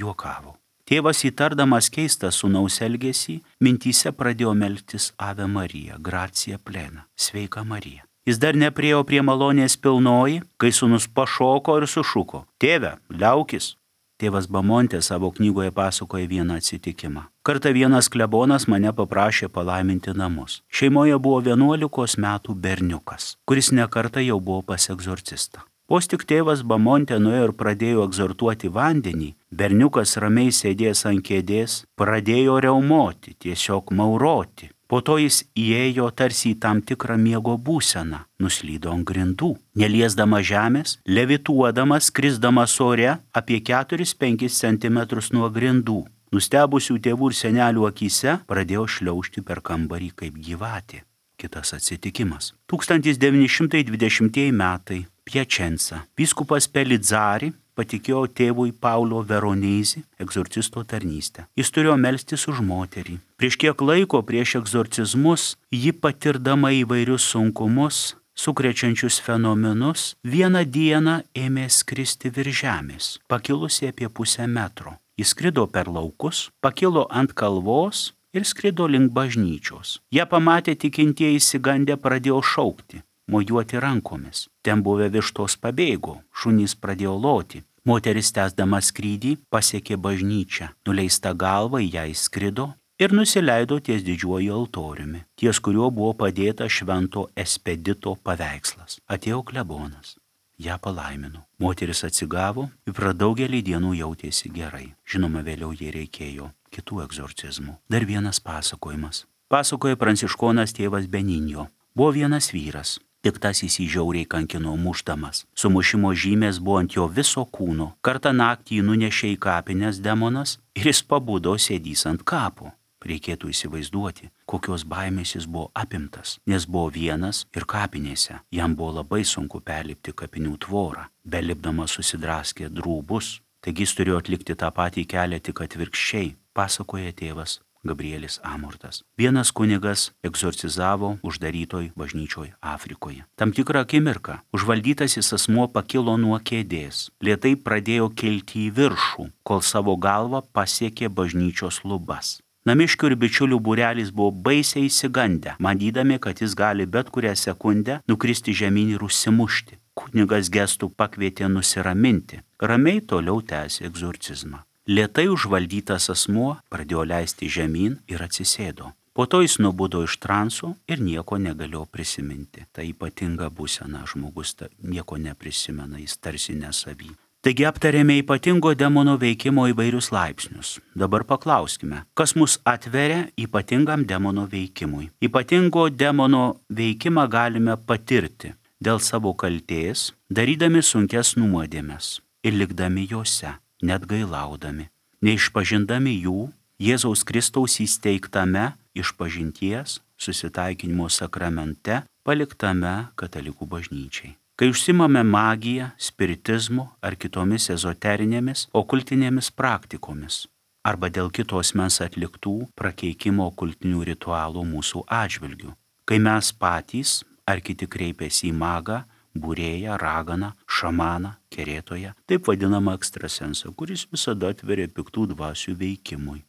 [SPEAKER 2] juokavo. Tėvas įtardamas keistą sūnaus elgesį, mintyse pradėjo melstis Ave Marija, gracia plena, sveika Marija. Jis dar nepriėjo prie malonės pilnoji, kai sūnus pašoko ir sušuko: tėve, liaukis. Tėvas Bamontė savo knygoje pasakoja vieną atsitikimą. Kartą vienas klebonas mane paprašė palaiminti namus. Šeimoje buvo vienuolikos metų berniukas, kuris nekartą jau buvo pas egzorcistą. Vos tik tėvas Bamontė nuėjo ir pradėjo egzortuoti vandenį, berniukas ramiai sėdės ant kėdės, pradėjo riaumoti, tiesiog mauroti. Po to jis įėjo tarsi į tam tikrą miego būseną, nuslydo ant grindų, neliesdamas žemės, levituodamas, skrisdamas ore apie keturis penkis centimetrus nuo grindų. Nustebusių tėvų ir senelių akyse pradėjo šliaužti per kambarį kaip gyvatė. Kitas atsitikimas. tūkstantis devyni šimtai dvidešimtieji metai, Piačenca. Vyskupas Pelidzari patikėjo tėvui Paulo Veronezi egzorcisto tarnystę. Jis turėjo melstis už moterį. Prieš kiek laiko prieš egzorcizmus ji, patirdama įvairius sunkumus, sukrečiančius fenomenus, vieną dieną ėmė skristi virš žemės, pakilusi apie pusę metro. Jis skrido per laukus, pakilo ant kalvos ir skrido link bažnyčios. Ją pamatę tikintieji išsigandę pradėjo šaukti, mojuoti rankomis. Ten buvę vištos pabėgo, šunys pradėjo loti. Moteris tęsdama skrydį pasiekė bažnyčią, nuleista galva į ją įskrido ir nusileido ties didžiuoju altoriumi, ties kuriuo buvo padėta švento Espedito paveikslas. Atėjo klebonas, ją palaimino. Moteris atsigavo ir per daugelį dienų jautėsi gerai. Žinoma, vėliau jai reikėjo kitų egzorcizmų. Dar vienas pasakojimas. Pasakoja pranciškonas tėvas Beninjo. Buvo vienas vyras. Piktasis jį žiauriai kankino mušdamas. Sumušimo žymės buvo ant jo viso kūno. Kartą naktį jį nunešė į kapines demonas ir jis pabudo sėdys ant kapo. Reikėtų įsivaizduoti, kokios baimės jis buvo apimtas, nes buvo vienas ir kapinėse. Jam buvo labai sunku perlipti kapinių tvorą. Belipdamas susidraskė drūbus. Taigi jis turėjo atlikti tą patį kelią tik atvirkščiai, pasakoja tėvas Gabrielis Amortas. Vienas kunigas egzorcizavo uždarytoj bažnyčioj Afrikoje. Tam tikrą akimirką užvaldytasis asmuo pakilo nuo kėdės, lėtai pradėjo kilti į viršų, kol savo galvą pasiekė bažnyčios lubas. Namiškių ir bičiulių būrelis buvo baisiai įsigandę, manydami, kad jis gali bet kurią sekundę nukristi žemyn ir užsimušti. Kunigas gestų pakvietė nusiraminti, ramiai toliau tęsė egzorcizmą. Lėtai užvaldytas asmuo pradėjo leisti žemyn ir atsisėdo. Po to jis nubudo iš transo ir nieko negalėjo prisiminti. Tai ypatinga būsena, žmogus nieko neprisimena, jis tarsi nesavy. Taigi aptarėme ypatingo demono veikimo įvairius laipsnius. Dabar paklauskime, kas mus atveria ypatingam demono veikimui. Ypatingo demono veikimą galime patirti dėl savo kaltės, darydami sunkes nuodėmes ir likdami jose, net gailaudami, neišpažindami jų Jėzaus Kristaus įsteigtame išpažinties susitaikinimo sakramente paliktame katalikų bažnyčiai. Kai užsimame magiją, spiritizmu ar kitomis ezoterinėmis, okultinėmis praktikomis, arba dėl kitos mens atliktų prakeikimo okultinių ritualų mūsų atžvilgių, kai mes patys ar kiti kreipiasi į magą, būrėją, raganą, šamaną, kerėtoją, taip vadinamą ekstrasensą, kuris visada atveria piktų dvasių veikimui.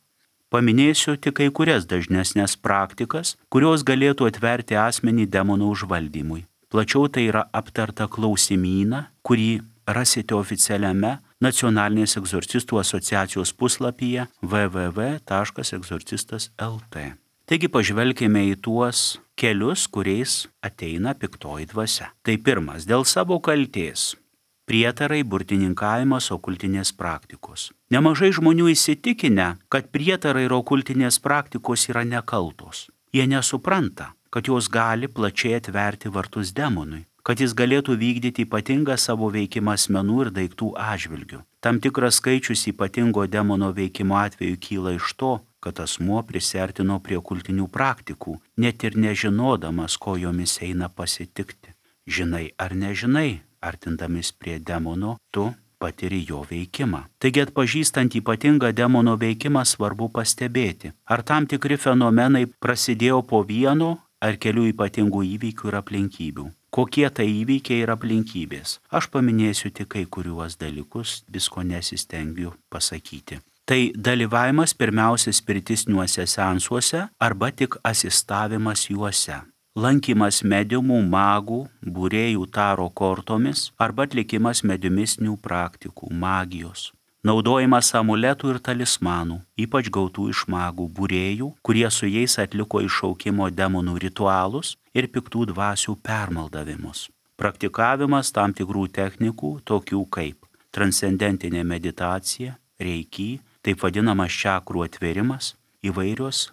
[SPEAKER 2] Paminėsiu tik kai kurias dažnesnės praktikas, kurios galėtų atverti asmenį demonų užvaldymui. Plačiau tai yra aptarta klausimyną, kurį rasite oficialiame Nacionalinės egzorcistų asociacijos puslapyje w w w taškas egzorcistas taškas l t. Taigi pažvelkime į tuos kelius, kuriais ateina piktoji dvasia. Tai pirmas, dėl savo kaltės. Prietarai, burtininkavimas, okultinės praktikos. Nemažai žmonių įsitikinę, kad prietarai ir okultinės praktikos yra nekaltos. Jie nesupranta, kad jos gali plačiai atverti vartus demonui, kad jis galėtų vykdyti ypatingą savo veikimą asmenų ir daiktų atžvilgių. Tam tikras skaičius ypatingo demono veikimo atveju kyla iš to, kad asmuo prisiartino prie okultinių praktikų, net ir nežinodamas, ko jomis eina pasitikti. Žinai ar nežinai, artindamis prie demono, tu patiri jo veikimą. Taigi atpažįstant ypatingą demono veikimą svarbu pastebėti, ar tam tikri fenomenai prasidėjo po vieno ar kelių ypatingų įvykių ir aplinkybių. Kokie tai įvykiai ir aplinkybės? Aš paminėsiu tik kai kuriuos dalykus, visko nesistengiu pasakyti. Tai dalyvavimas pirmiausia spiritistiniuose seansuose arba tik asistavimas juose. Lankymas mediumų, magų, būrėjų taro kortomis arba atlikimas mediumistinių praktikų, magijos. Naudojimas amuletų ir talismanų, ypač gautų iš magų būrėjų, kurie su jais atliko iššaukimo demonų ritualus ir piktų dvasių permaldavimus. Praktikavimas tam tikrų technikų, tokių kaip transcendentinė meditacija, reiki, taip vadinamas čakrų atvėrimas, įvairios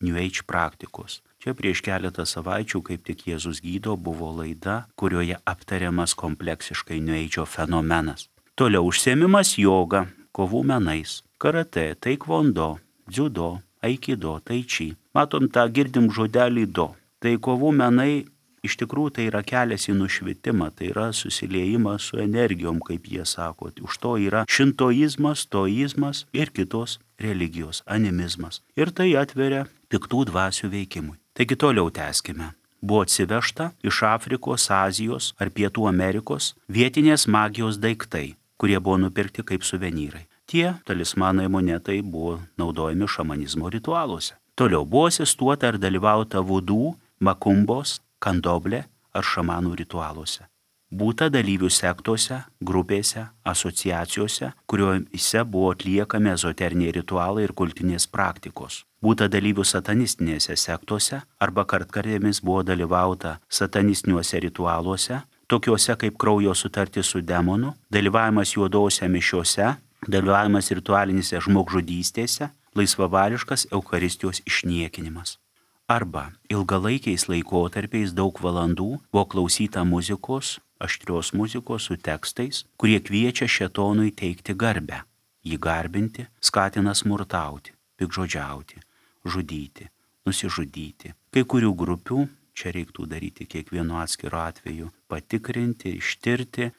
[SPEAKER 2] New Age praktikos. Čia prieš keletą savaičių, kaip tik Jėzus gydo, buvo laida, kurioje aptariamas kompleksiškai New Age fenomenas. Toliau užsiėmimas joga, kovų menais, karate, taikvondo, dziudo, aikido, taiči. Matom tą girdim žodelį do. Tai kovų menai iš tikrųjų tai yra kelias į nušvitimą, tai yra susiliejimas su energijom, kaip jie sako. Už to yra šintoizmas, toizmas ir kitos religijos, animizmas. Ir tai atveria piktų dvasių veikimui. Taigi toliau tęskime. Buvo atsivežta iš Afrikos, Azijos ar Pietų Amerikos vietinės magijos daiktai, kurie buvo nupirkti kaip suvenyrai. Tie talismanai monetai buvo naudojami šamanizmo ritualuose. Toliau buvo asistuota ar dalyvauta vudų, makumbos, kandoblė ar šamanų ritualuose. Būta dalyvių sektose, grupėse, asociacijose, kuriuose buvo atliekami ezoteriniai ritualai ir kultinės praktikos. Būta dalyvių satanistinėse sektose arba kartkartėmis buvo dalyvauta satanistiniuose ritualuose, tokiuose kaip kraujo sutartis su demonu, dalyvavimas juodose mišiose, dalyvavimas ritualinėse žmogžudystėse, laisvavališkas Eucharistijos išniekinimas. Arba ilgalaikiais laikotarpiais daug valandų buvo klausyta muzikos, aštrios muzikos su tekstais, kurie kviečia šėtonui teikti garbę, jį garbinti, skatina smurtauti, pikžodžiauti, žudyti, nusižudyti. Kai kurių grupių, čia reiktų daryti kiekvienu atskiru atveju, patikrinti, ištirti,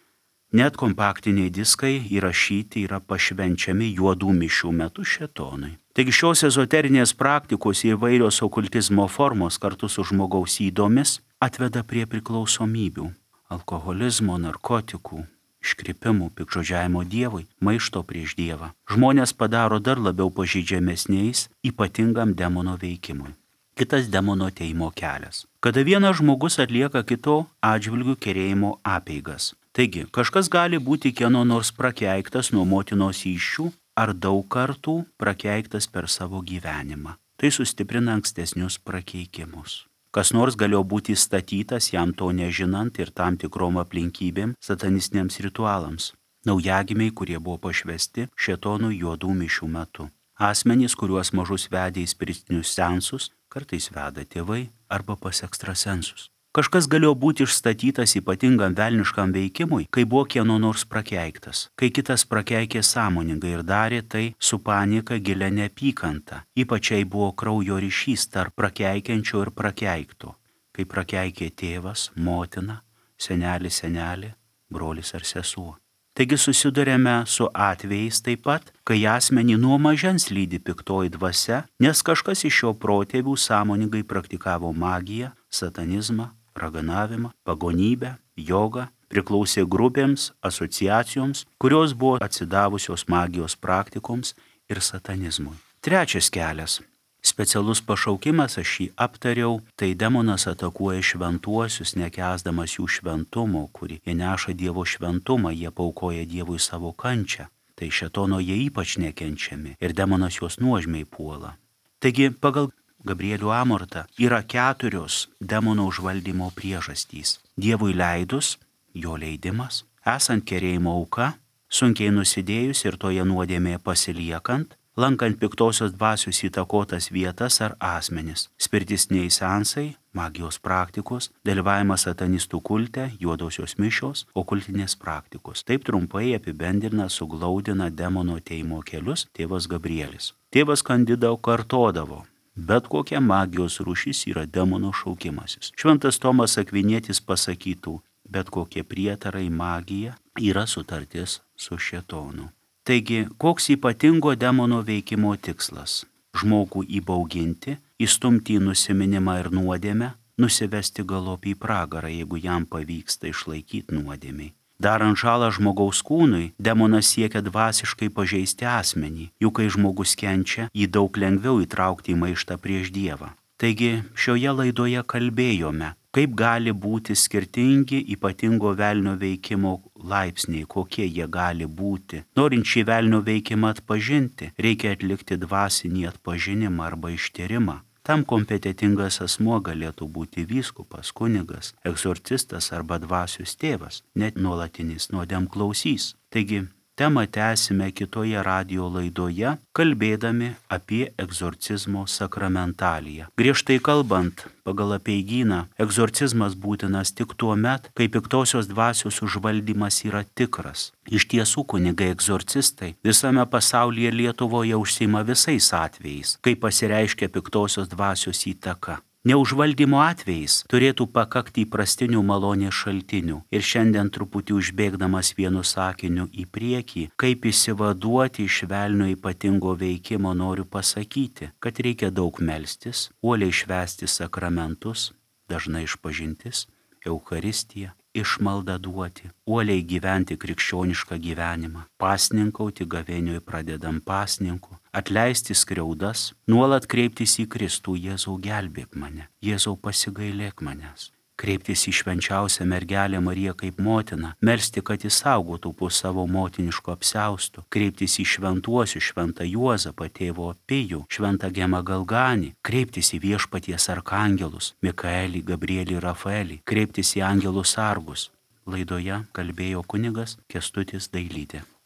[SPEAKER 2] net kompaktiniai diskai įrašyti yra pašvenčiami juodų mišių metu šėtonui. Taigi šios ezoterinės praktikos įvairios okultizmo formos kartu su žmogaus ydomis atveda prie priklausomybių, alkoholizmo, narkotikų, iškrypimų, pikžodžiavimo Dievui, maišto prieš Dievą. Žmonės padaro dar labiau pažeidžiamesniais ypatingam demono veikimui. Kitas demono teimo kelias. Kada vienas žmogus atlieka kito atžvilgių kerėjimo apeigas. Taigi, kažkas gali būti kieno nors prakeiktas nuo motinos įsčių ar daug kartų prakeiktas per savo gyvenimą. Tai sustiprina ankstesnius prakeikimus. Kas nors galėjo būti statytas jam to nežinant ir tam tikrom aplinkybėm satanistiniams ritualams. Naujagimiai, kurie buvo pašvesti šėtonų juodų mišių metu. Asmenys, kuriuos mažus vedė į spiritinius seansus, kartais veda tėvai arba pas ekstrasensus. Kažkas galėjo būti išstatytas ypatingam velniškam veikimui, kai buvo kieno nors prakeiktas, kai kitas prakeikė sąmoningai ir darė tai su panika gilia neapykanta. Ypačiai buvo kraujo ryšys tarp prakeikiančio ir prakeikto, kai prakeikė tėvas, motina, senelis, senelė, brolis ar sesuo. Taigi susidurėme su atvejais taip pat, kai asmenį nuo mažens lydi piktoji dvasia, nes kažkas iš jo protėvių sąmoningai praktikavo magiją, satanizmą, raganavimą, pagonybę, jogą, priklausė grupėms, asociacijoms, kurios buvo atsidavusios magijos praktikoms ir satanizmui. Trečias kelias. Specialus pašaukimas, aš jį aptariau, tai demonas atakuoja šventuosius, nekęsdamas jų šventumo, kurį jie neša Dievo šventumą, jie paukoja Dievui savo kančią. Tai šėtono jie ypač nekenčiami ir demonas juos nuožmiai puola. Taigi, pagal Gabrielių Amortą yra keturios demono užvaldymo priežastys. Dievui leidus, jo leidimas, esant kerėjimo auka, sunkiai nusidėjus ir toje nuodėmėje pasiliekant, lankant piktosios dvasios įtakotas vietas ar asmenis, spiritistiniai seansai, magijos praktikos, dalyvavimas satanistų kulte, juodosios mišios, okultinės praktikos. Taip trumpai apibendrina, suglaudina demono teimo kelius tėvas Gabrielis. Tėvas Kandida kartodavo, bet kokia magijos rūšis yra demono šaukimasis. Šventas Tomas Akvinietis pasakytų, bet kokie prietarai magija yra sutartis su šėtonu. Taigi, koks ypatingo demono veikimo tikslas? Žmogų įbauginti, įstumti į nusiminimą ir nuodėmę, nusivesti galop į pragarą, jeigu jam pavyksta išlaikyti nuodėmiai. Darant žalą žmogaus kūnui, demonas siekia dvasiškai pažeisti asmenį, juk kai žmogus kenčia, jį daug lengviau įtraukti į maištą prieš Dievą. Taigi šioje laidoje kalbėjome, kaip gali būti skirtingi ypatingo velnio veikimo laipsniai, kokie jie gali būti. Norint šį velnio veikimą atpažinti, reikia atlikti dvasinį atpažinimą arba ištyrimą. Tam kompetentingas asmuo galėtų būti vyskupas, kunigas, egzorcistas arba dvasios tėvas, net nuolatinis nuodėmklausys. Taigi, temą tęsime kitoje radijo laidoje, kalbėdami apie egzorcizmo sakramentaliją. Griežtai kalbant, pagal apeigyną, egzorcizmas būtinas tik tuo met, kai piktosios dvasios užvaldymas yra tikras. Iš tiesų, kunigai egzorcistai visame pasaulyje ir Lietuvoje užsiima visais atvejais, kai pasireiškia piktosios dvasios įtaka. Neužvaldymo atvejais turėtų pakakti įprastinių malonės šaltinių. Ir šiandien truputį užbėgdamas vienu sakiniu į priekį, kaip išsivaduoti iš velnio ypatingo veikimo, noriu pasakyti, kad reikia daug melstis, uoliai švęsti sakramentus, dažnai išpažintis, Eucharistiją, išmaldą duoti, uoliai gyventi krikščionišką gyvenimą, pasninkauti gavėnioj pradedam pasninku, atleisti skriaudas, nuolat kreiptis į Kristų, Jėzau gelbėk mane, Jėzau pasigailėk manęs. Kreiptis į švenčiausią mergelę Mariją kaip motiną, melsti, kad jis saugotų po savo motiniško apsiausto, kreiptis į šventuosius, šventą Juozapą, tėvo Pijų, šventą Gemą Galganį, kreiptis į viešpaties arkangelus, Mikaelį, Gabrielį, Rafaelį, kreiptis į angelus sargus. Laidoje kalbėjo kunigas Kęstutis Dailytė.